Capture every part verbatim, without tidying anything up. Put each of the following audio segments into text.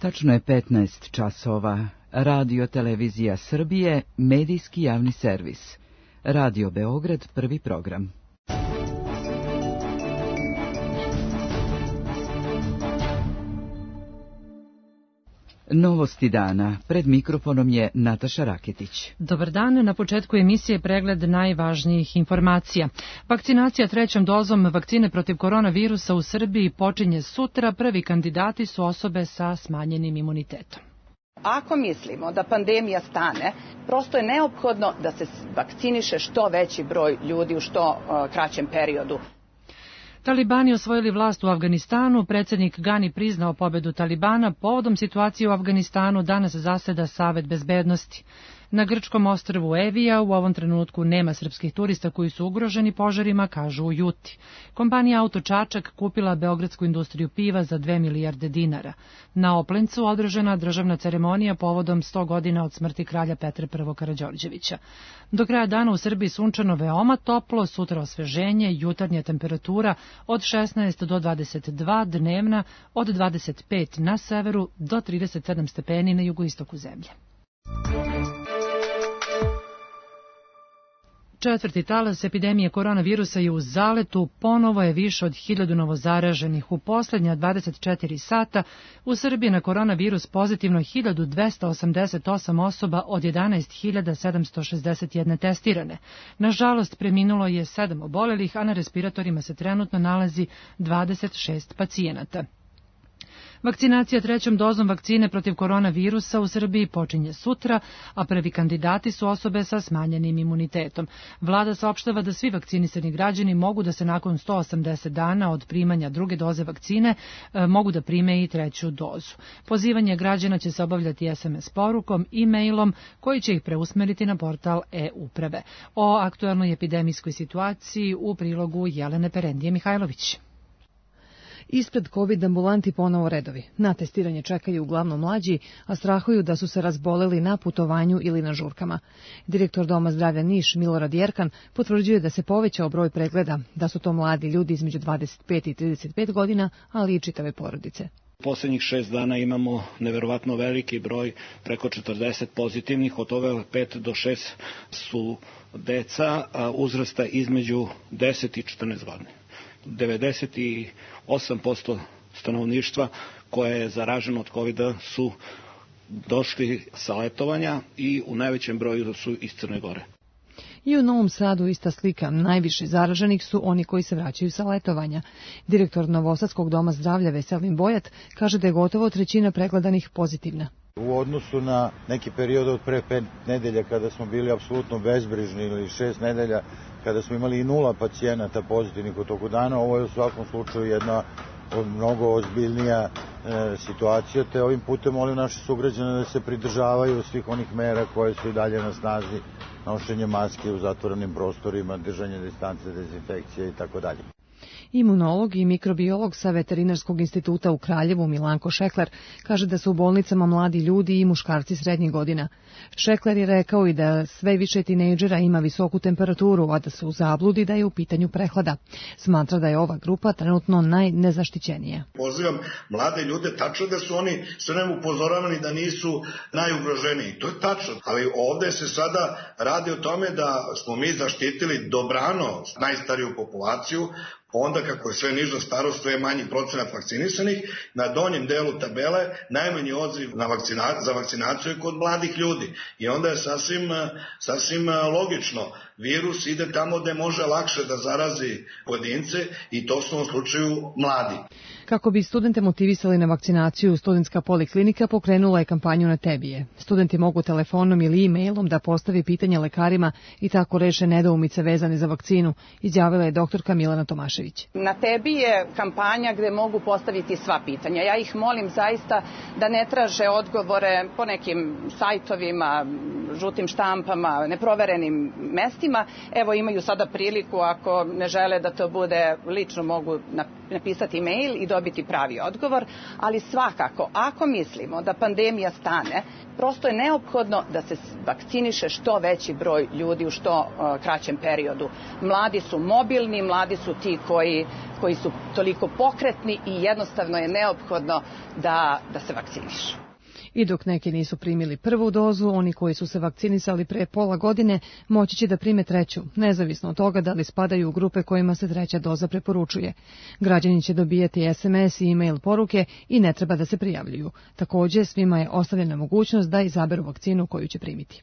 Tačno je petnaest časova. Radio Televizija Srbije, medijski javni servis. Radio Beograd, prvi program. Novosti dana. Pred mikrofonom je Nataša Raketić. Dobar dan. Na početku emisije pregled najvažnijih informacija. Vakcinacija trećom dozom vakcine protiv koronavirusa u Srbiji počinje sutra. Prvi kandidati su osobe sa smanjenim imunitetom. Ako mislimo da pandemija stane, prosto je neophodno da se vakciniše što veći broj ljudi u što uh, kraćem periodu. Talibani osvojili vlast u Afganistanu, predsjednik Gani priznao pobedu Talibana, povodom situacije u Afganistanu danas zaseda Savet bezbednosti. Na grčkom ostrvu Evija u ovom trenutku nema srpskih turista koji su ugroženi požarima, kažu u Juti. Kompanija Auto Čačak kupila beogradsku industriju piva za dve milijarde dinara. Na Oplencu održana državna ceremonija povodom sto godina od smrti kralja Petra I. Karađorđevića. Do kraja dana u Srbiji sunčano veoma toplo, sutra osveženje, jutarnja temperatura od šesnaest do dvadeset dva, dnevna od dvadeset pet na severu do trideset sedam stepeni na jugoistoku zemlje. Četvrti talas epidemije koronavirusa je u zaletu, ponovo je više od hiljadu novozaraženih. U posljednja dvadeset četiri sata u Srbiji na koronavirus pozitivno hiljadu dvesta osamdeset osam osoba od jedanaest hiljada sedamsto šezdeset jedna testirane. Nažalost, preminulo je sedam obolelih, a na respiratorima se trenutno nalazi dvadeset šest pacijenata. Vakcinacija trećom dozom vakcine protiv koronavirusa u Srbiji počinje sutra, a prvi kandidati su osobe sa smanjenim imunitetom. Vlada saopštava da svi vakcinisani građani mogu da se nakon sto osamdeset dana od primanja druge doze vakcine e, mogu da prime i treću dozu. Pozivanje građana će se obavljati es em es porukom i mailom koji će ih preusmeriti na portal e-uprave. O aktuelnoj epidemijskoj situaciji u prilogu Jelene Perendije Mihajlović. Ispred COVID ambulanti ponovo redovi. Na testiranje čekaju uglavnom mlađi, a strahuju da su se razboleli na putovanju ili na žurkama. Direktor Doma zdravlja Niš Milorad Jerkan potvrđuje da se povećao broj pregleda, da su to mladi ljudi između dvadeset pet i trideset pet godina, ali i čitave porodice. Poslednjih šest dana imamo neverovatno veliki broj, preko četrdeset pozitivnih, od toga pet do šest su deca uzrasta između deset i četrnaest godina. devedeset osam posto stanovništva koje je zaraženo od kovida su došli sa letovanja i u najvećem broju su iz Crne Gore. I u Novom Sadu ista slika. Najviše zaraženih su oni koji se vraćaju sa letovanja. Direktor Novosadskog doma zdravlja Veselin Bojat kaže da je gotovo trećina pregledanih pozitivna. U odnosu na neki period od pre pet nedelja kada smo bili apsolutno bezbrižni ili šest nedelja kada smo imali i nula pacijenata pozitivnih u toku dana, ovo je u svakom slučaju jedna mnogo ozbiljnija e, situacija, te ovim putem molim naše sugrađane da se pridržavaju svih onih mera koje su i dalje na snazi, nošenje maske u zatvorenim prostorima, držanje distance, dezinfekcije i tako dalje. Imunolog i mikrobiolog sa Veterinarskog instituta u Kraljevu Milanko Šekler kaže da su u bolnicama mladi ljudi i muškarci srednjih godina. Šekler je rekao i da sve više tinejdžera ima visoku temperaturu, a da se u zabludi da je u pitanju prehlada. Smatra da je ova grupa trenutno najnezaštićenija. Pozivam mlade ljude, tačno da su oni sve nam upozoravani da nisu najugroženiji. To je tačno, ali ovde se sada radi o tome da smo mi zaštitili dobrano najstariju populaciju, onda kako je sve niža starost, sve je manji procenat vakcinisanih, na donjem delu tabele najmanji odziv na vakcina, za vakcinaciju je kod mladih ljudi. I onda je sasvim, sasvim logično. Virus ide tamo gde može lakše da zarazi pojedince i to su u slučaju mladi. Kako bi studente motivisali na vakcinaciju, Studentska poliklinika pokrenula je kampanju Na tebi je. Studenti mogu telefonom ili e-mailom da postave pitanja lekarima i tako reše nedoumice vezane za vakcinu, izjavila je doktorka Milana Tomašević. Na tebi je kampanja gde mogu postaviti sva pitanja. Ja ih molim zaista da ne traže odgovore po nekim sajtovima, žutim štampama, neproverenim mestima, ljudima. Evo, imaju sada priliku, ako ne žele da to bude lično, mogu napisati mail i dobiti pravi odgovor, ali svakako, ako mislimo da pandemija stane, prosto je neophodno da se vakciniše što veći broj ljudi u što uh, kraćem periodu. Mladi su mobilni, mladi su ti koji, koji su toliko pokretni i jednostavno je neophodno da, da se vakcinišu. I dok neki nisu primili prvu dozu, oni koji su se vakcinisali pre pola godine moći će da prime treću, nezavisno od toga da li spadaju u grupe kojima se treća doza preporučuje. Građani će dobijati es em es i e-mail poruke i ne treba da se prijavljuju. Također, svima je ostavljena mogućnost da izaberu vakcinu koju će primiti.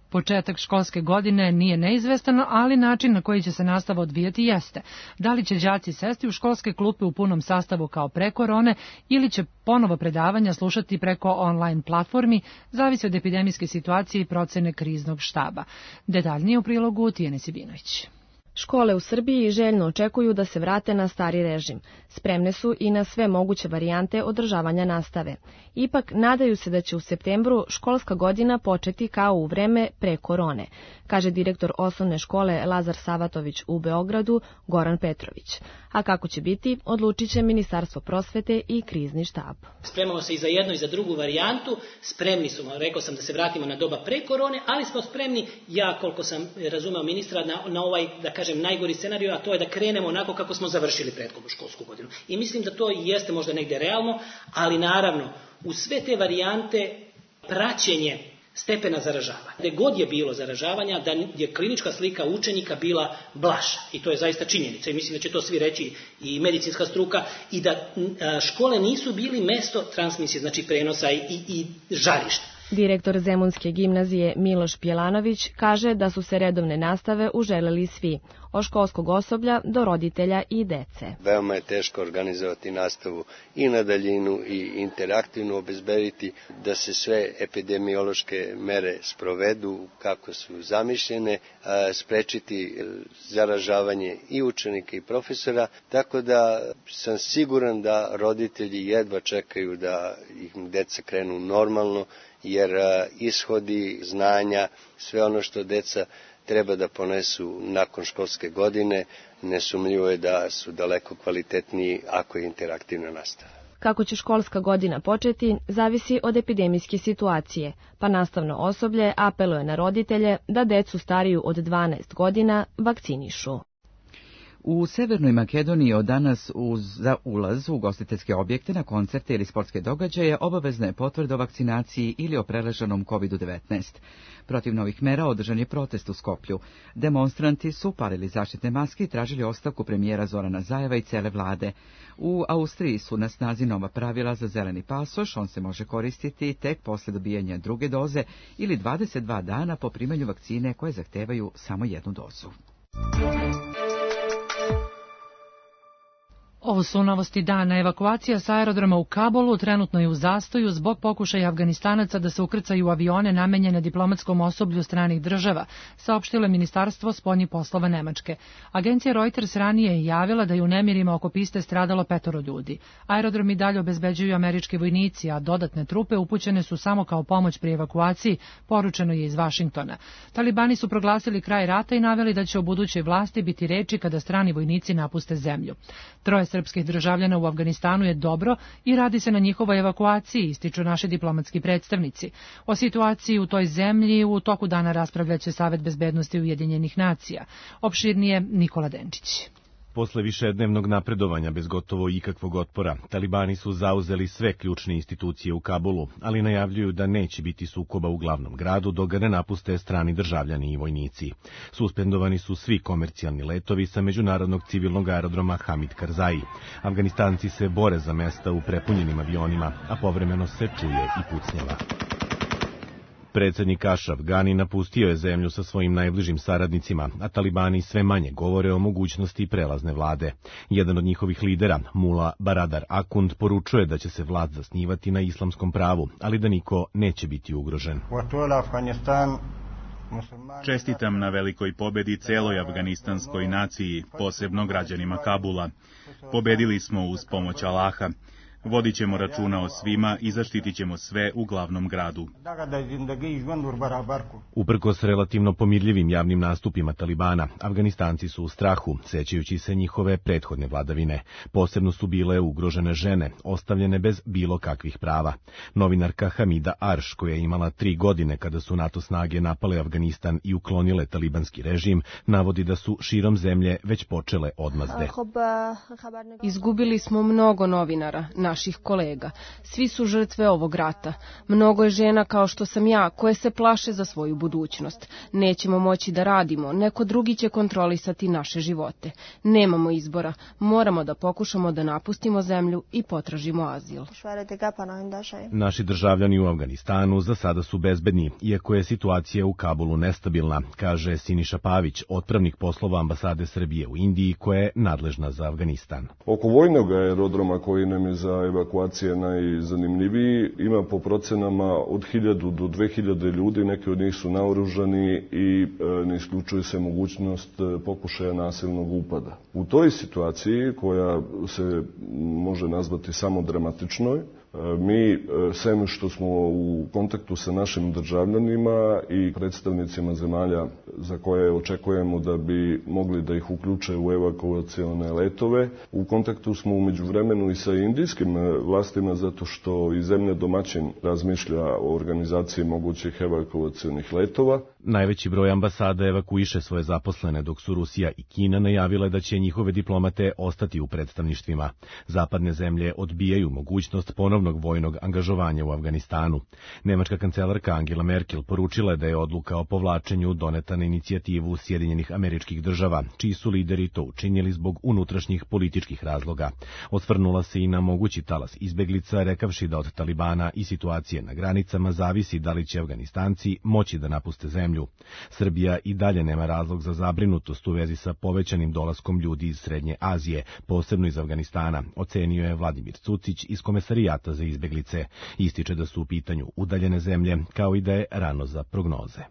Početak školske godine nije neizvestan, ali način na koji će se nastava odvijati jeste. Da li će đaci sesti u školske klupe u punom sastavu kao pre korone ili će ponovo predavanja slušati preko online platformi, zavisi od epidemijske situacije i procene kriznog štaba. Detaljnije u prilogu Tijene Sibinović. Škole u Srbiji željno očekuju da se vrate na stari režim. Spremne su i na sve moguće varijante održavanja nastave. Ipak, nadaju se da će u septembru školska godina početi kao u vreme pre korone, kaže direktor osnovne škole Lazar Savatović u Beogradu, Goran Petrović. A kako će biti, odlučit će Ministarstvo prosvete i krizni štab. Spremamo se i za jednu i za drugu varijantu. Spremni smo, rekao sam da se vratimo na doba pre korone, ali smo spremni, ja koliko sam razumeo ministra, na, na ovaj, da kažem, najgori scenarij, a to je da krenemo onako kako smo završili prethodnu školsku godinu. I mislim da to jeste možda negde realno, ali naravno, u sve te varijante praćenje stepena zaražavanja. Gde god je bilo zaražavanja, da je klinička slika učenika bila blaža. I to je zaista činjenica. I mislim da će to svi reći i medicinska struka. I da škole nisu bili mesto transmisije, znači prenosa i, i žarišta. Direktor Zemunske gimnazije Miloš Pjelanović kaže da su se redovne nastave uželeli svi, od školskog osoblja do roditelja i dece. Veoma je teško organizovati nastavu i na daljinu i interaktivno obezbediti da se sve epidemiološke mere sprovedu kako su zamišljene, sprečiti zaražavanje i učenika i profesora, tako da sam siguran da roditelji jedva čekaju da ih deca krenu normalno, jer ishodi, znanja, sve ono što deca treba da ponesu nakon školske godine, nesumnjivo je da su daleko kvalitetniji ako je interaktivna nastava. Kako će školska godina početi, zavisi od epidemijske situacije, pa nastavno osoblje apeluje na roditelje da decu stariju od dvanaest godina vakcinišu. U Severnoj Makedoniji od danas uz, za ulaz u ugostiteljske objekte, na koncerte ili sportske događaje obavezna je potvrda o vakcinaciji ili o preleženom kovid devetnaest. Protiv novih mera održan je protest u Skoplju. Demonstranti su palili zaštitne maske i tražili ostavku premijera Zorana Zajeva i cele vlade. U Austriji su na snazi nova pravila za zeleni pasoš, on se može koristiti tek posle dobijanja druge doze ili dvadeset dva dana po primanju vakcine koje zahtevaju samo jednu dozu. Ovo su novosti dana. Evakuacija sa aerodroma u Kabulu trenutno je u zastoju zbog pokušaja Afganistanaca da se ukrcaju u avione namenjene diplomatskom osoblju stranih država, saopštilo je Ministarstvo spoljnih poslova Nemačke. Agencija Reuters ranije je javila da je u nemirima oko piste stradalo petoro ljudi. Aerodrom i dalje obezbeđuju američki vojnici, a dodatne trupe upućene su samo kao pomoć pri evakuaciji, poručeno je iz Vašingtona. Talibani su proglasili kraj rata i naveli da će o budućoj vlasti biti reči kada strani vojnici napuste zemlju. Troje srpskih državljana u Afganistanu je dobro i radi se na njihovoj evakuaciji, ističu naši diplomatski predstavnici. O situaciji u toj zemlji u toku dana raspravljaće Savet bezbednosti Ujedinjenih nacija. Opširnije Nikola Denčić. Posle višednevnog napredovanja bez gotovo ikakvog otpora, talibani su zauzeli sve ključne institucije u Kabulu, ali najavljuju da neće biti sukoba u glavnom gradu dok ga ne napuste strani državljani i vojnici. Suspendovani su svi komercijalni letovi sa međunarodnog civilnog aerodroma Hamid Karzai. Afganistanci se bore za mesta u prepunjenim avionima, a povremeno se čuje i pucnjava. Predsjednik Ashraf Ghani napustio je zemlju sa svojim najbližim saradnicima, a talibani sve manje govore o mogućnosti prelazne vlade. Jedan od njihovih lidera, Mula Baradar Akund, poručuje da će se vlast zasnivati na islamskom pravu, ali da niko neće biti ugrožen. Čestitam na velikoj pobedi celoj afganistanskoj naciji, posebno građanima Kabula. Pobedili smo uz pomoć Allaha. Vodit ćemo računa o svima i zaštitit ćemo sve u glavnom gradu. Uprkos relativno pomirljivim javnim nastupima Talibana, Afganistanci su u strahu, sećajući se njihove prethodne vladavine. Posebno su bile ugrožene žene, ostavljene bez bilo kakvih prava. Novinarka Hamida Arš, koja je imala tri godine kada su NATO snage napale Afganistan i uklonile talibanski režim, navodi da su širom zemlje već počele odmazde. Izgubili smo mnogo novinara, naših kolega. Svi su žrtve ovog rata. Mnogo je žena kao što sam ja, koje se plaše za svoju budućnost. Nećemo moći da radimo, neko drugi će kontrolisati naše živote. Nemamo izbora, moramo da pokušamo da napustimo zemlju i potražimo azil. Naši državljani u Afganistanu za sada su bezbedni, iako je situacija u Kabulu nestabilna, kaže Siniša Pavić, otpravnik poslova ambasade Srbije u Indiji, koja je nadležna za Afganistan. Oko vojnog aerodroma koji nam je za evakuacije najzanimljiviji ima po procenama od hiljadu do dve hiljade ljudi, neki od njih su naoružani i ne isključuje se mogućnost pokušaja nasilnog upada. U toj situaciji, koja se može nazvati samo dramatičnoj, mi, sem što smo u kontaktu sa našim državljanima i predstavnicima zemalja za koje očekujemo da bi mogli da ih uključe u evakuacione letove, u kontaktu smo u međuvremenu i sa indijskim vlastima, zato što i zemlja domaćin razmišlja o organizaciji mogućih evakuacionih letova. Najveći broj ambasada evakuiše svoje zaposlene, dok su Rusija i Kina najavile da će njihove diplomate ostati u predstavništvima. Zapadne zemlje odbijaju mogućnost ponovnog vojnog angažovanja u Afganistanu. Nemačka kancelarka Angela Merkel poručila je da je odluka o povlačenju doneta na inicijativu Sjedinjenih Američkih Država, čiji su lideri to učinili zbog unutrašnjih političkih razloga. Osvrnula se i na mogući talas izbeglica, rekavši da od Talibana i situacije na granicama zavisi da li će Afganistanci moći da napuste zemlju. Srbija i dalje nema razlog za zabrinutost u vezi sa povećanim dolaskom ljudi iz Srednje Azije, posebno iz Afganistana, ocenio je Vladimir Cucić iz Komesarijata za izbeglice. Ističe da su u pitanju udaljene zemlje, kao i da je rano za prognoze.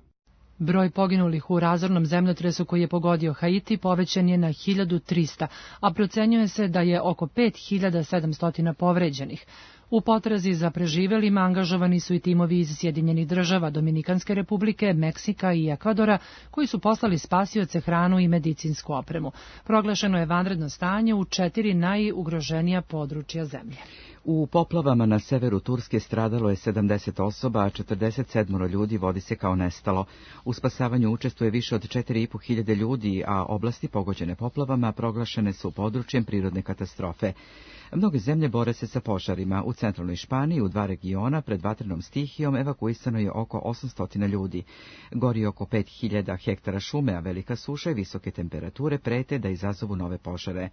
Broj poginulih u razornom zemljotresu koji je pogodio Haiti povećan je na hiljadu trista, a procenjuje se da je oko pet hiljada sedamsto povređenih. U potrazi za preživelima angažovani su i timovi iz Sjedinjenih Država, Dominikanske Republike, Meksika i Ekvadora, koji su poslali spasioce, hranu i medicinsku opremu. Proglašeno je vanredno stanje u četiri najugroženija područja zemlje. U poplavama na severu Turske stradalo je sedamdeset osoba, a četrdeset sedam ljudi vodi se kao nestalo. U spasavanju učestvuje više od četiri i po hiljade ljudi, a oblasti pogođene poplavama proglašene su područjem prirodne katastrofe. Mnoge zemlje bore se sa požarima. U centralnoj Španiji u dva regiona pred vatrenom stihijom evakuisano je oko osamsto ljudi. Gori oko pet hiljada hektara šume, a velika suša i visoke temperature prete da izazovu nove požare.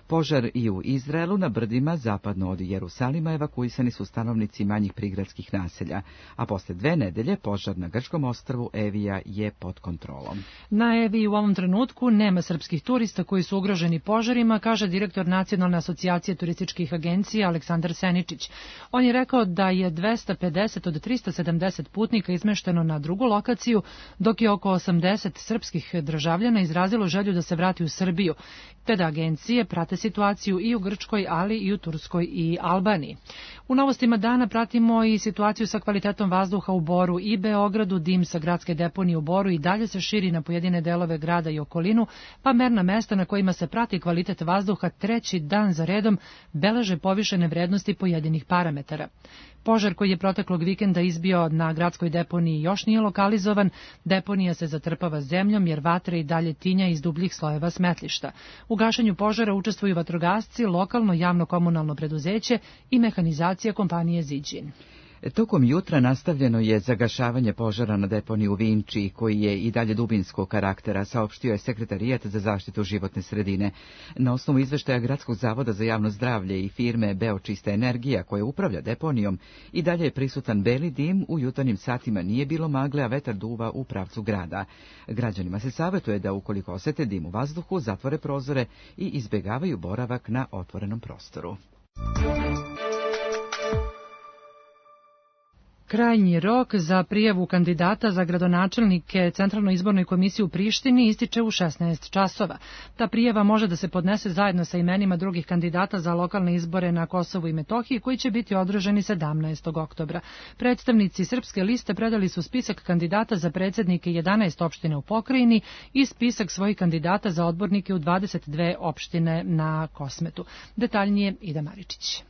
Požar i u Izraelu na brdima zapadno od Jerusalima evakuisani su stanovnici manjih prigradskih naselja, a posle dve nedelje požar na grčkom ostrvu Evija je pod kontrolom. Na Eviji u ovom trenutku nema srpskih turista koji su ugroženi požarima, kaže direktor Nacionalne asocijacije turističkih agencija Aleksandar Seničić. On je rekao da je dvesta pedeset od trista sedamdeset putnika izmešteno na drugu lokaciju, dok je oko osamdeset srpskih državljana izrazilo želju da se vrati u Srbiju, te da agencije prate situaciju i u Grčkoj, ali i u Turskoj i Albaniji. U novostima dana pratimo i situaciju sa kvalitetom vazduha u Boru i Beogradu. Dim sa gradske deponije u Boru i dalje se širi na pojedine delove grada i okolinu, pa merna mesta na kojima se prati kvalitet vazduha treći dan za redom beleže povišene vrednosti pojedinih parametara. Požar koji je proteklog vikenda izbio na gradskoj deponiji još nije lokalizovan. Deponija se zatrpava zemljom jer vatra i dalje tinja iz dubljih slojeva smetlišta. U gašenju požara učestvuju vatrogasci, lokalno javno komunalno preduzeće i mehanizacija kompanije Ziđin. Tokom jutra nastavljeno je zagašavanje požara na deponiji u Vinči, koji je i dalje dubinskog karaktera, saopštio je Sekretarijat za zaštitu životne sredine. Na osnovu izveštaja Gradskog zavoda za javno zdravlje i firme Beočista energija, koja upravlja deponijom, i dalje je prisutan beli dim, u jutarnjim satima nije bilo magle, a vetar duva u pravcu grada. Građanima se savjetuje da ukoliko osete dim u vazduhu, zatvore prozore i izbjegavaju boravak na otvorenom prostoru. Krajnji rok za prijavu kandidata za gradonačelnike Centralnoj izbornoj komisiji u Prištini ističe u šesnaest časova. Ta prijava može da se podnese zajedno sa imenima drugih kandidata za lokalne izbore na Kosovu i Metohiji koji će biti održani sedamnaestog oktobra. Predstavnici Srpske liste predali su spisak kandidata za predsednike jedanaest opština u pokrajini i spisak svojih kandidata za odbornike u dvadeset dve opštine na Kosmetu. Detaljnije Ida Maričić.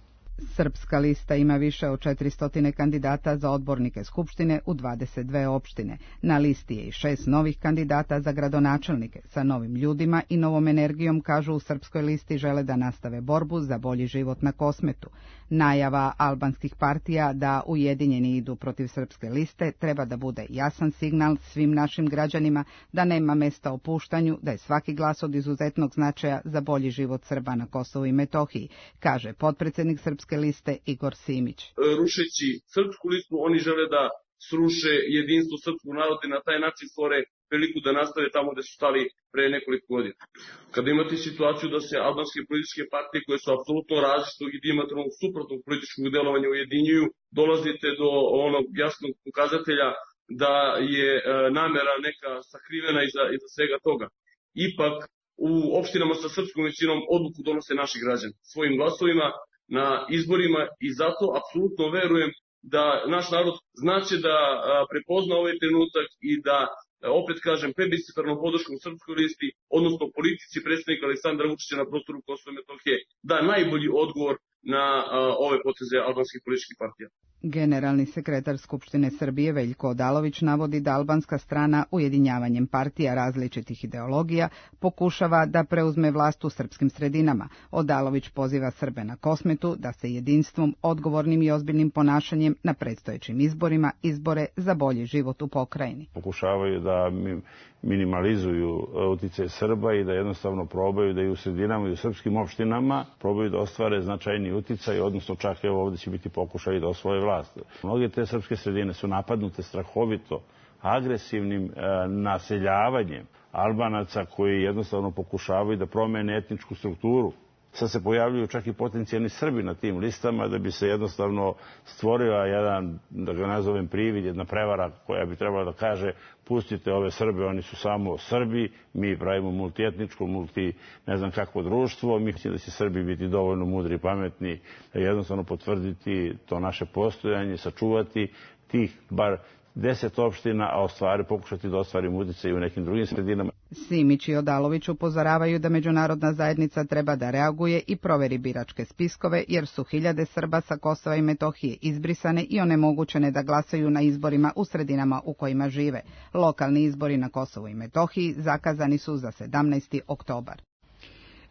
Srpska lista ima više od četiristo kandidata za odbornike Skupštine u dvadeset dve opštine. Na listi je i šest novih kandidata za gradonačelnike. Sa novim ljudima i novom energijom, kažu u Srpskoj listi, žele da nastave borbu za bolji život na Kosmetu. Najava albanskih partija da ujedinjeni idu protiv Srpske liste treba da bude jasan signal svim našim građanima da nema mesta opuštanju, da je svaki glas od izuzetnog značaja za bolji život Srba na Kosovu i Metohiji, kaže potpredsednik Srpske liste Igor Simić. Rušeći Srpsku listu, oni žele da sruše jedinstvo srpskog naroda i na taj način stvore priliku da nastave tamo gde su stali pre nekoliko godina. Kada imate situaciju da se albanske političke partije koje su apsolutno različitog i dijametralno suprotnog političkog delovanja ujedinjuju, dolazite do onog jasnog pokazatelja da je namera neka sakrivena iza, iza svega toga. Ipak, u opštinama sa srpskom većinom odluku donose naši građani svojim glasovima na izborima i zato apsolutno verujem da naš narod znaće da prepozna ovaj trenutak i da, opet kažem, plebiscitarnom podrškom Srpskoj listi, odnosno politici predsjednika Aleksandra Vučića na prostoru Kosova i Metohije, da najbolji odgovor na ove poteze albanskih političkih partija. Generalni sekretar Skupštine Srbije Veljko Odalović navodi da albanska strana ujedinjavanjem partija različitih ideologija pokušava da preuzme vlast u srpskim sredinama. Odalović poziva Srbe na Kosmetu da se jedinstvom, odgovornim i ozbiljnim ponašanjem na predstojećim izborima izbore za bolji život u pokrajini. Pokušavaju da minimalizuju uticaj Srba i da jednostavno probaju da i u sredinama i u srpskim opštinama probaju da ostvare značajni uticaj, odnosno čak evo ovde će biti pokušaj da osvoje vlast. Mnoge te srpske sredine su napadnute strahovito agresivnim e, naseljavanjem Albanaca koji jednostavno pokušavaju da promene etničku strukturu. Sad se pojavljuju čak i potencijalni Srbi na tim listama da bi se jednostavno stvorio jedan, da ga nazovem privid, jedna prevara koja bi trebala da kaže pustite ove Srbe, oni su samo Srbi, mi pravimo multietničko, multi ne znam kakvo društvo, mi mislim da će Srbi biti dovoljno mudri i pametni da jednostavno potvrditi to naše postojanje, sačuvati tih bar deset opština, a ostvari, pokušati da ostvarimo uticaj u nekim drugim sredinama. Simić i Odalović upozoravaju da međunarodna zajednica treba da reaguje i proveri biračke spiskove, jer su hiljade Srba sa Kosova i Metohije izbrisane i onemogućene da glasaju na izborima u sredinama u kojima žive. Lokalni izbori na Kosovu i Metohiji zakazani su za sedamnaesti oktobar.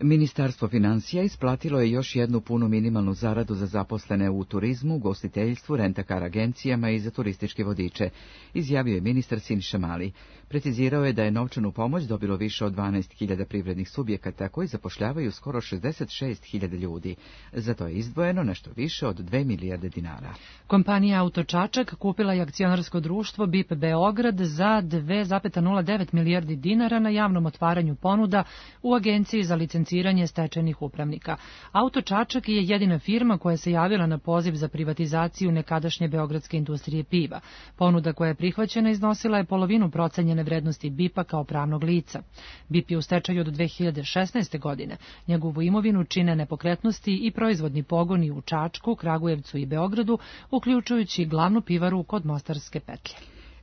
Ministarstvo finansija isplatilo je još jednu punu minimalnu zaradu za zaposlene u turizmu, gostiteljstvu, rentakar agencijama i za turističke vodiče, izjavio je ministar Siniša Mali. Precizirao je da je novčanu pomoć dobilo više od dvanaest hiljada privrednih subjekata koji zapošljavaju skoro šezdeset šest hiljada ljudi. Za to je izdvojeno nešto više od dve milijarde dinara. Kompanija Auto Čačak kupila je akcionarsko društvo B I P Beograd za dve zarez nula devet milijardi dinara na javnom otvaranju ponuda u Agenciji za licenciranje stečajnih upravnika. Auto Čačak je jedina firma koja se javila na poziv za privatizaciju nekadašnje beogradske industrije piva. Ponuda koja je prihvaćena iznosila je polovinu procenjene vrednosti B I P-a kao pravnog lica. B I P je u stečaju od dve hiljade šesnaeste. godine. Njegovu imovinu čine nepokretnosti i proizvodni pogoni u Čačku, Kragujevcu i Beogradu, uključujući glavnu pivaru kod Mostarske petlje.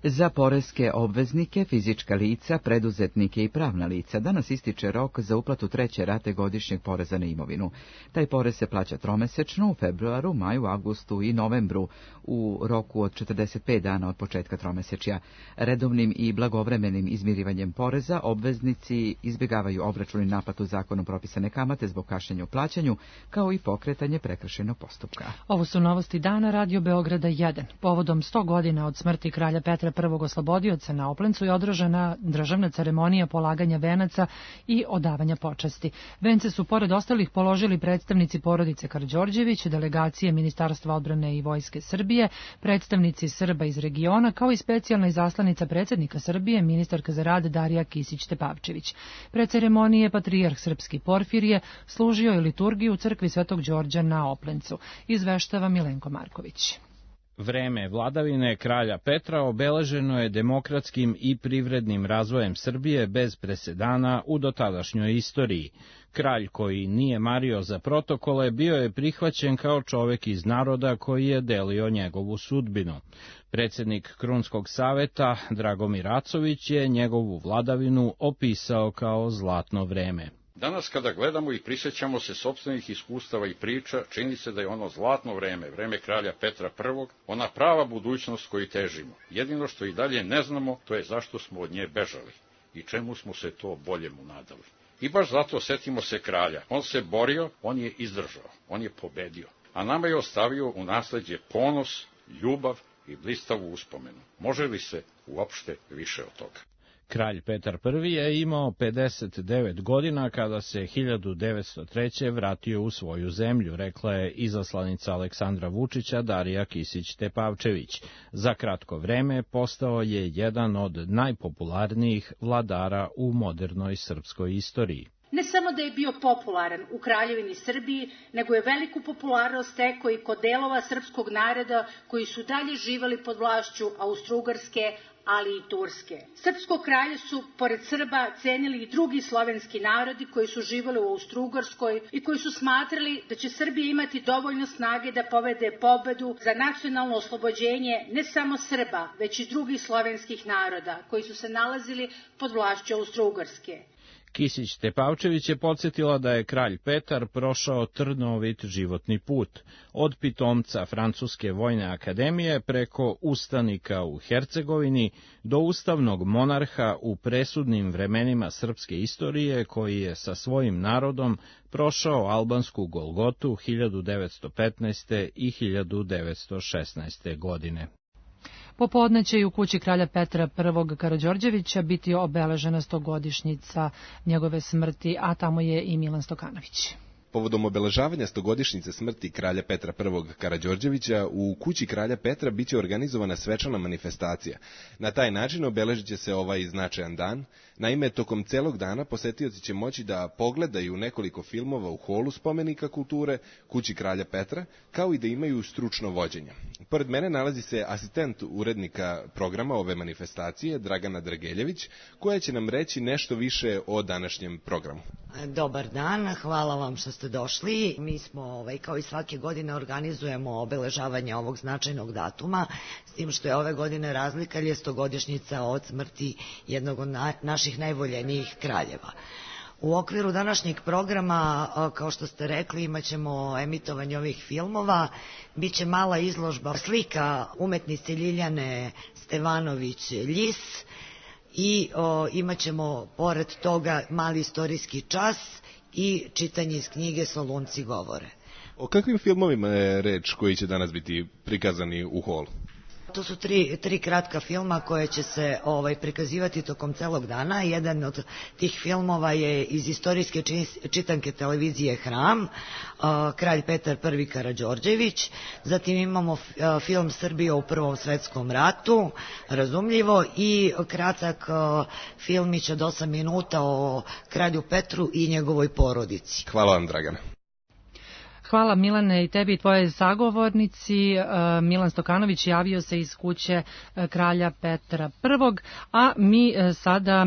Za poreske obveznike, fizička lica, preduzetnike i pravna lica danas ističe rok za uplatu treće rate godišnjeg poreza na imovinu. Taj porez se plaća tromesečno u februaru, maju, avgustu i novembru u roku od četrdeset pet dana od početka tromesečja. Redovnim i blagovremenim izmirivanjem poreza obveznici izbjegavaju obračun i naplatu zakonom propisane kamate zbog kašnjenja u plaćanju, kao i pokretanje prekršajnog postupka. Ovo su novosti dana Radio Beograda jedan. Povodom sto godina od smrti kralja Petra prvog oslobodioca na Oplencu je održana državna ceremonija polaganja venaca i odavanja počasti. Vence su pored ostalih položili predstavnici porodice Karađorđević, delegacije Ministarstva odbrane i Vojske Srbije, predstavnici Srba iz regiona, kao i specijalna izaslanica predsjednika Srbije, ministarka za rad Darija Kisić-Tepavčević. Pred ceremonije patrijarh srpski Porfirije služio je liturgiju u crkvi Svetog Đorđa na Oplencu. Izveštava Milenko Marković. Vreme vladavine kralja Petra obeleženo je demokratskim i privrednim razvojem Srbije bez presedana u dotadašnjoj istoriji. Kralj koji nije mario za protokole bio je prihvaćen kao čovek iz naroda koji je delio njegovu sudbinu. Predsednik Krunskog saveta Dragomir Acović je njegovu vladavinu opisao kao zlatno vreme. Danas kada gledamo i prisjećamo se sopstvenih iskustava i priča, čini se da je ono zlatno vreme, vreme kralja Petra Prvog, ona prava budućnost koju težimo. Jedino što i dalje ne znamo, to je zašto smo od nje bežali i čemu smo se to boljemu nadali. I baš zato setimo se kralja. On se borio, on je izdržao, on je pobedio, a nama je ostavio u nasleđe ponos, ljubav i blistavu uspomenu. Može li se uopšte više od toga? Kralj Petar Prvi je imao pedeset devet godina kada se hiljadu devetsto treće vratio u svoju zemlju, rekla je izaslanica Aleksandra Vučića Darija Kisić-Tepavčević. Za kratko vreme postao je jedan od najpopularnijih vladara u modernoj srpskoj istoriji. Ne samo da je bio popularan u Kraljevini Srbiji, nego je veliku popularnost stekao i kod delova srpskog naroda koji su dalje živali pod vlašću Austro-Ugarske, ali i Turske. Srpsko kralje su, pored Srba, cenili i drugi slovenski narodi koji su živali u Austro-Ugarskoj i koji su smatrali da će Srbija imati dovoljno snage da povede pobedu za nacionalno oslobođenje ne samo Srba, već i drugih slovenskih naroda koji su se nalazili pod vlašću Austro-Ugarske. Kisić-Tepavčević je podsjetila da je kralj Petar prošao trnovit životni put, od pitomca Francuske vojne akademije preko ustanika u Hercegovini do ustavnog monarha u presudnim vremenima srpske istorije koji je sa svojim narodom prošao albansku Golgotu hiljadu devetsto petnaeste. i hiljadu devetsto šesnaeste. godine. Popodne će i u kući kralja Petra Prvog Karađorđevića biti obeležena stogodišnjica njegove smrti, a tamo je i Milan Stokanović. Povodom obeležavanja stogodišnjice smrti kralja Petra Prvog Karađorđevića u kući kralja Petra biće organizovana svečana manifestacija. Na taj način obeležit će se ovaj značajan dan. Naime, tokom celog dana posetioci će moći da pogledaju nekoliko filmova u holu spomenika kulture kući kralja Petra, kao i da imaju stručno vođenje. Pored mene nalazi se asistent urednika programa ove manifestacije, Dragana Drageljević, koja će nam reći nešto više o današnjem programu. Dobar dan, hvala vam što ste došli. Mi smo, ovaj, kao i svake godine, organizujemo obeležavanje ovog značajnog datuma, s tim što je ove godine razlika, jer je stogodišnjica od smrti jednog od na, naših najvoljenijih kraljeva. U okviru današnjeg programa, kao što ste rekli, imat ćemo emitovanje ovih filmova, biće mala izložba slika umetnice Ljiljane Stevanović-Ljis i o, imat ćemo pored toga mali istorijski čas i čitanje iz knjige Solunci govore. O kakvim filmovima je reč koji će danas biti prikazani u holu? To su tri, tri kratka filma koje će se ovaj, prikazivati tokom celog dana. Jedan od tih filmova je iz istorijske čitanke televizije Hram, uh, Kralj Petar Prvi Karađorđević. Zatim imamo uh, film Srbija u Prvom svetskom ratu, razumljivo, i kratak uh, filmić od osam minuta o kralju Petru i njegovoj porodici. Hvala vam, Dragana. Hvala Milane i tebi i tvoje sagovornici. Milan Stokanović javio se iz kuće kralja Petra Prvog, a mi sada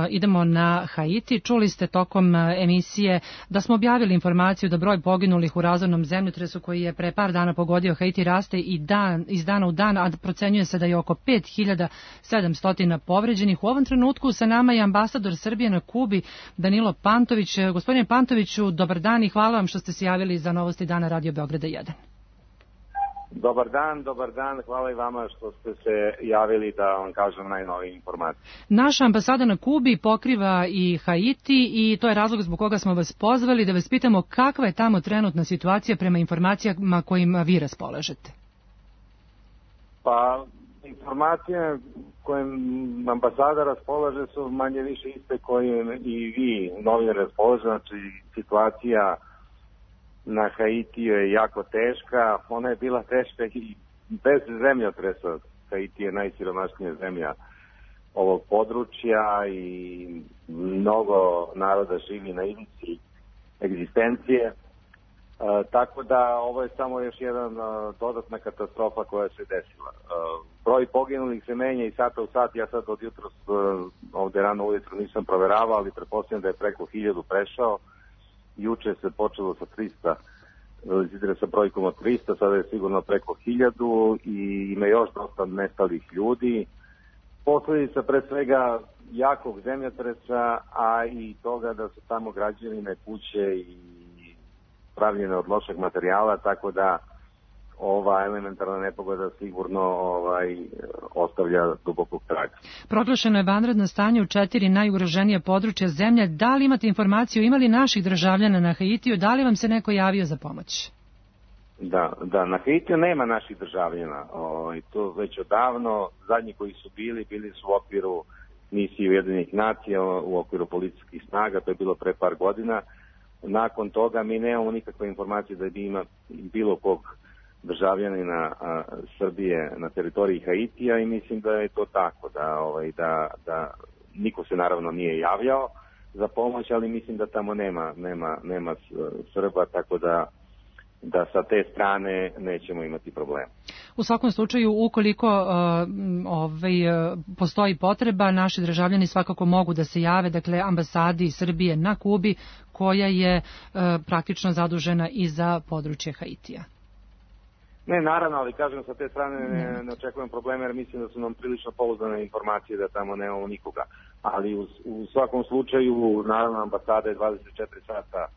idemo na Haiti. Čuli ste tokom emisije da smo objavili informaciju da broj poginulih u razornom zemljotresu koji je pre par dana pogodio Haiti raste i dan, iz dana u dan, a procenjuje se da je oko pet hiljada sedamsto povređenih. U ovom trenutku sa nama je ambasador Srbije na Kubi, Danilo Pantović. Gospodine Pantoviću, dobar dan i hvala vam što ste se javili za novosti dana Radio Beograda jedan. Dobar dan, dobar dan, hvala i vama što ste se javili da vam kažem najnovije informacije. Naša ambasada na Kubi pokriva i Haiti i to je razlog zbog koga smo vas pozvali da vas pitamo kakva je tamo trenutna situacija prema informacijama kojima vi raspolažete. Pa, informacije kojim ambasada raspolaže su manje više iste koje i vi novinari raspolaže, znači situacija na Haitiju je jako teška, ona je bila teška i bez zemljotresa. Haiti je najsiromašnija zemlja ovog područja i mnogo naroda živi na ivici egzistencije. tako da ovo je samo još jedan dodatna katastrofa koja se desila. Broj poginulih se menja i sata u sat, ja sad od jutros ovde rano ujutro nisam proveravao, ali pretpostavljam da je preko hiljadu prešao. Juče se počelo sa trista, izidre sa brojkom od trista, sada je sigurno preko hiljadu i ima još dosta nestalih ljudi. Posledica pre svega jakog zemljotresa, a i toga da su tamo građevine, kuće i pravljene od lošeg materijala, tako da ova elementarna nepogoda sigurno ovaj, ostavlja dubokog traga. Proglašeno je vanredno stanje u četiri najugroženije područja zemlje. Da li imate informaciju, ima li naših državljana na Haitiju, da li vam se neko javio za pomoć? Da, da, na Haitiju nema naših državljana. O, to već odavno, zadnji koji su bili, bili su u okviru misije Ujedinjenih nacija, u okviru policijskih snaga, to je bilo pre par godina. Nakon toga mi nemamo nikakve informacije da bi ima bilo kog državljanina a, Srbije na teritoriji Haitija i mislim da je to tako, da, ovaj, da, da niko se naravno nije javljao za pomoć, ali mislim da tamo nema, nema, nema Srba, tako da da sa te strane nećemo imati problema. U svakom slučaju, ukoliko uh, ovaj, uh, postoji potreba, naši državljani svakako mogu da se jave, dakle, ambasadi Srbije na Kubi, koja je uh, praktično zadužena i za područje Haitija. Ne, naravno, ali kažem, sa te strane ne, ne očekujem probleme, jer mislim da su nam prilično pouzdane informacije da tamo nemamo nikoga. Ali u, u svakom slučaju, naravno, ambasada je dvadeset četiri sata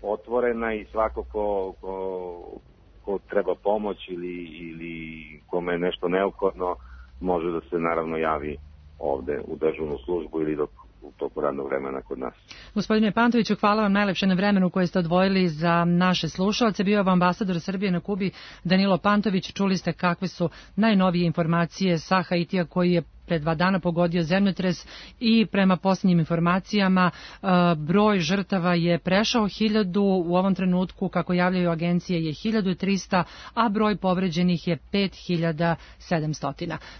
otvorena i svako ko, ko, ko treba pomoć ili, ili kome je nešto neophodno može da se naravno javi ovde u dežurnu službu ili dok u toku radnog vremena kod nas. Gospodine Pantoviću, hvala vam najlepše na vremenu koje ste odvojili za naše slušalce. Bio vam ambasador Srbije na Kubi Danilo Pantović. Čuli ste kakve su najnovije informacije sa Haitija koji je pre dva dana pogodio zemljotres i prema posljednjim informacijama broj žrtava je prešao hiljadu, u ovom trenutku kako javljaju agencije je hiljadu trista, a broj povređenih je pet hiljada sedamsto.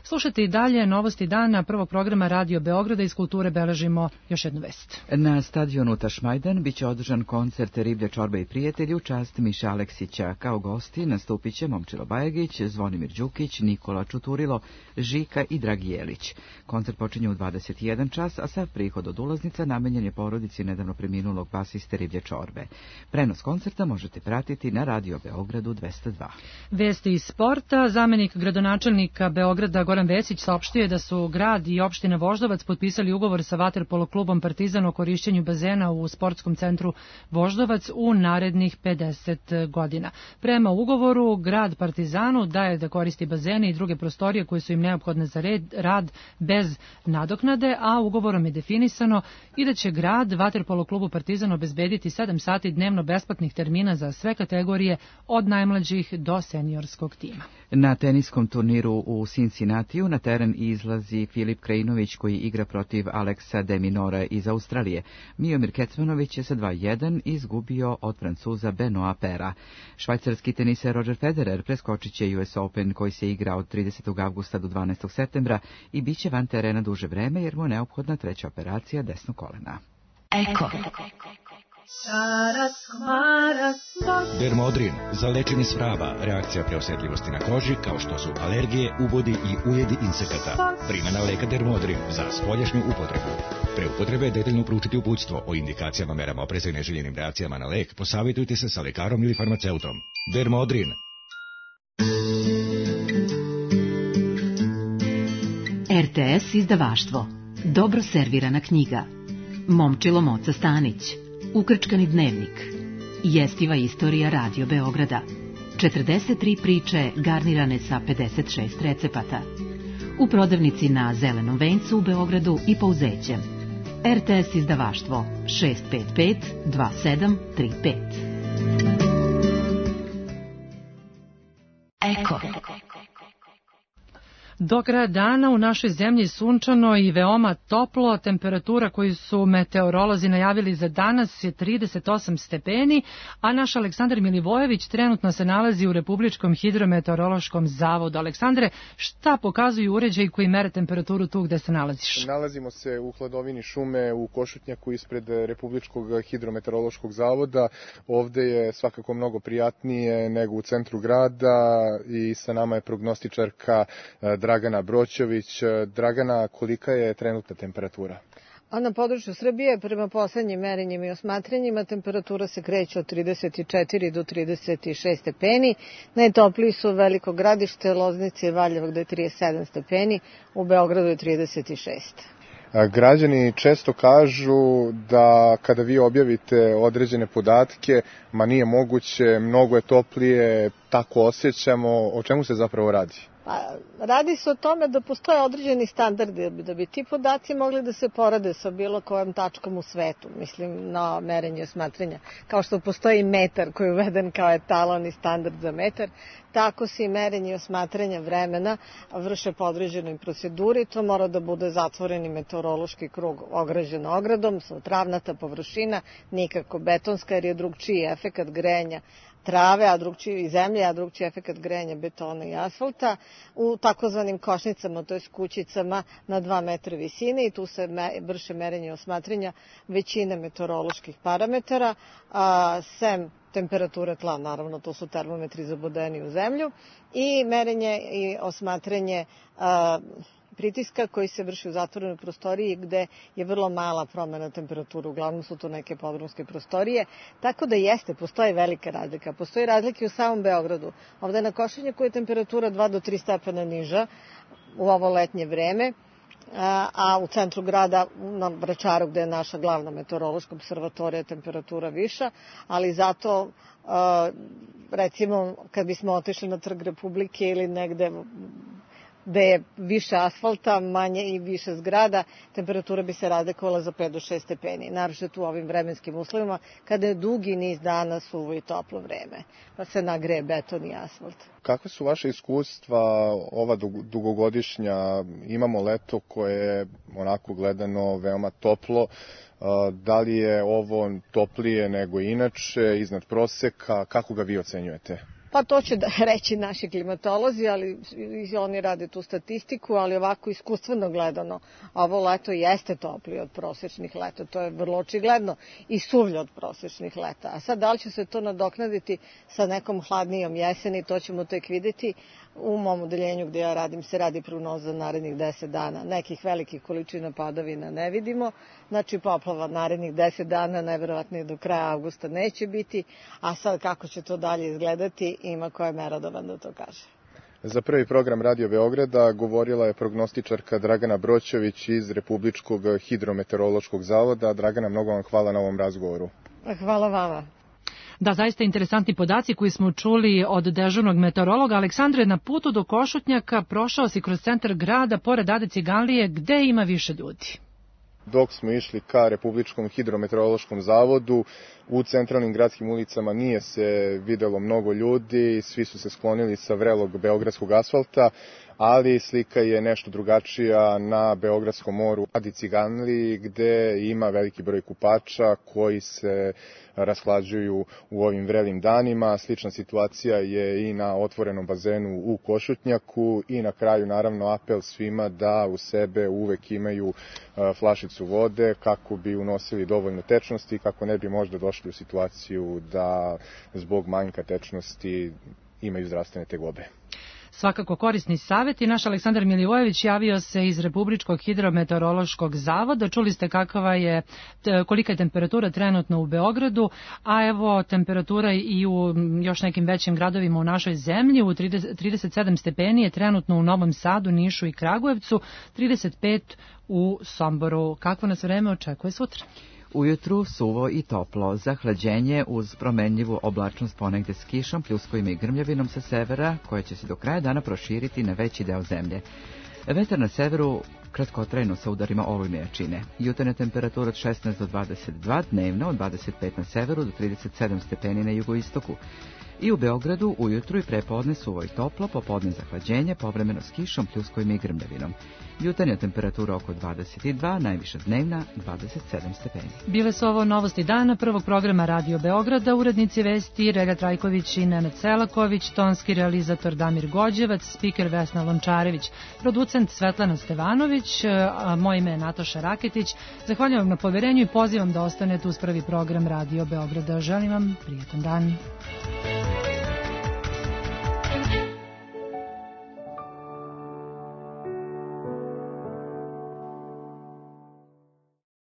Slušajte i dalje novosti dana prvog programa Radio Beograda. Iz kulture beležimo još jednu vest. Na stadionu Tašmajdan biće održan koncert Riblje čorbe i prijatelji u čast Miše Aleksića. Kao gosti nastupit će Momčilo Bajagić, Zvonimir Đukić, Nikola Čuturilo, Žika i Dragi Jelić. Koncert počinje u dvadeset jedan čas, a sav prihod od ulaznica namenjen je porodici nedavno preminulog basiste Riblje čorbe. Prenos koncerta možete pratiti na Radio Beogradu dvesta dva. Vesti iz sporta. Zamenik gradonačelnika Beograda Goran Vesić saopštio je da su grad i opština Voždovac potpisali ugovor sa vaterpolo klubom Partizan o korišćenju bazena u sportskom centru Voždovac u narednih pedeset godina. Prema ugovoru, grad Partizanu daje da koristi bazene i druge prostorije koje su im neophodne za red, rad bez nadoknade, a ugovorom je definisano i da će grad vaterpolo klubu Partizan obezbediti sedam sati dnevno besplatnih termina za sve kategorije od najmlađih do seniorskog tima. Na teniskom turniru u Cincinnatiju na teren izlazi Filip Krajinović koji igra protiv Aleksa de Minora iz Australije. Miomir Kecmanović je sa dva jedan izgubio od Francuza Benoa Pera. Švajcarski teniser Roger Federer preskočit će U S Open koji se igra od tridesetog avgusta do dvanaestog septembra i bit će van terena duže vreme jer mu je neophodna treća operacija desnog kolena. Eko. Dermodrin za lečenje svraba, reakcija preosetljivosti na koži kao što su alergije, ubodi i ujedi insekata. Primjena leka Dermodrin za spoljašnju upotrebu. Pre upotrebe detaljno proučiti uputstvo o indikacijama, merama opreza i neželjenim reakcijama na lek. Posavitujte se sa lekarom ili farmaceutom. Dermodrin. R T S izdavaštvo. Dobro servirana knjiga. Momčilo Moca Stanić. Ukrčkani dnevnik. Jestiva istorija Radio Beograda. četrdeset tri priče garnirane sa pedeset šest recepata. U prodavnici na Zelenom vencu u Beogradu i Pouzećem. R T S izdavaštvo šest pet pet dva sedam tri pet. Eko. Do kraja dana u našoj zemlji sunčano i veoma toplo. Temperatura koju su meteorolozi najavili za danas je trideset osam stepeni, a naš Aleksandar Milivojević trenutno se nalazi u Republičkom hidrometeorološkom zavodu. Aleksandre, šta pokazuju uređaji koji mere temperaturu tu gde se nalaziš? Nalazimo se u hladovini šume u Košutnjaku ispred Republičkog hidrometeorološkog zavoda. Ovde je svakako mnogo prijatnije nego u centru grada i sa nama je prognostičarka Dragana Broćović. Dragana, kolika je trenutna temperatura? A na području Srbije, prema poslednjim merenjima i osmatranjima, temperatura se kreće od trideset četiri do trideset šest stepeni. Najtopliji su Veliko Gradište, Loznica i Valjevo gde je trideset sedam stepeni, u Beogradu je trideset šest. Građani često kažu da kada vi objavite određene podatke, ma nije moguće, mnogo je toplije, tako osjećamo. O čemu se zapravo radi? Pa, radi se o tome da postoje određeni standardi da bi ti podaci mogli da se porade sa bilo kojom tačkom u svetu, mislim na merenje i osmatranja. Kao što postoji metar koji je uveden kao etalon i standard za metar, tako se i merenje i osmatranja vremena vrše po određenoj proceduri. To mora da bude zatvoreni meteorološki krug ograđen ogradom, travnata površina, nikako betonska jer je drugčiji efekat grejanja trave, a drugčiji i zemlje, a drugčiji efekat grejanja betona i asfalta u takozvanim košnicama, to je kućicama na dva metra visine i tu se me, vrše merenje i osmatranja većine meteoroloških parametara, a, sem temperature tla, naravno to su termometri zabodeni u zemlju, i merenje i osmatranje a, pritiska koji se vrši u zatvorenoj prostoriji gde je vrlo mala promena temperature, uglavnom su to neke podrumske prostorije, tako da jeste, postoji velika razlika. Postoji razlike u samom Beogradu. Ovde na Košutnjaku je temperatura dva do tri stepena niža u ovo letnje vreme, a u centru grada, na Vračaru gde je naša glavna meteorološka observatorija, temperatura viša, ali zato recimo kad bismo otišli na Trg Republike ili negde gde je više asfalta, manje i više zgrada, temperatura bi se razlikovala za pet do šest stepeni. Naročito u ovim vremenskim uslovima, kada je dugi niz dana suvo i toplo vreme, pa se nagreje beton i asfalt. Kakve su vaše iskustva ova dugogodišnja? Imamo leto koje je onako gledano veoma toplo. Da li je ovo toplije nego inače, iznad proseka? Kako ga vi ocenjujete? Pa to će da reći naši klimatolozi, ali oni rade tu statistiku, ali ovako iskustveno gledano, ovo leto jeste toplije od prosječnih leta, to je vrlo očigledno, i suvlje od prosječnih leta. A sad da li će se to nadoknaditi sa nekom hladnijom jeseni, to ćemo tek vidjeti. U mom odeljenju gde ja radim se radi prognoza narednih deset dana. Nekih velikih količina padavina ne vidimo, znači poplava narednih deset dana najverovatnije do kraja avgusta neće biti, a sad kako će to dalje izgledati ima ko je merodavan da to kaže. Za prvi program Radio Beograda govorila je prognostičarka Dragana Broćović iz Republičkog hidrometeorološkog zavoda. Dragana, mnogo vam hvala na ovom razgovoru. Hvala vama. Da, zaista interesantni podaci koji smo čuli od dežurnog meteorologa. Aleksandre, na putu do Košutnjaka prošao si kroz centar grada, pored Ade Ciganlije, gde ima više ljudi? Dok smo išli ka Republičkom hidrometeorološkom zavodu, u centralnim gradskim ulicama nije se videlo mnogo ljudi, svi su se sklonili sa vrelog beogradskog asfalta, ali slika je nešto drugačija na Beogradskom moru Adi Ciganliji, gde ima veliki broj kupača koji se rashlađuju u ovim vrelim danima. Slična situacija je i na otvorenom bazenu u Košutnjaku i na kraju naravno apel svima da u sebe uvek imaju flašicu vode kako bi unosili dovoljno tečnosti i kako ne bi možda došli u situaciju da zbog manjka tečnosti imaju zdravstvene tegobe. Svakako korisni savjet i naš Aleksandar Milivojević javio se iz Republičkog hidrometeorološkog zavoda. Čuli ste kakva je, kolika je temperatura trenutno u Beogradu, a evo temperatura i u još nekim većim gradovima u našoj zemlji. U trideset sedam stepeni je trenutno u Novom Sadu, Nišu i Kragujevcu, trideset pet u Somboru. Kakvo nas vreme očekuje sutra? Ujutru suvo i toplo, zahlađenje uz promenljivu oblačnost ponegde s kišom, pljuskovima i grmljavinom sa severa, koje će se do kraja dana proširiti na veći deo zemlje. Vetar na severu kratkotrajno sa udarima olujne jačine. Jutarnja temperatura od šesnaest do dvadeset dva, dnevno od dvadeset pet na severu do trideset sedam stepeni na jugoistoku. I u Beogradu ujutru i prepodne suvo i toplo, popodne zahlađenje, povremeno s kišom, pljuskovima i grmljavinom. Jutarnja temperatura oko dvadeset dva, najviša dnevna dvadeset sedam stepeni. Bile su ovo novosti dana prvog programa Radio Beograda, urednici vesti Relja Trajković i Nenad Selaković, tonski realizator Damir Gođevac, spiker Vesna Lončarević, producent Svetlana Stevanović, a moje ime je Natoša Raketić. Zahvaljujem vam na poverenju i pozivam da ostanete uz prvi program Radio Beograda. Želim vam prijetan dan.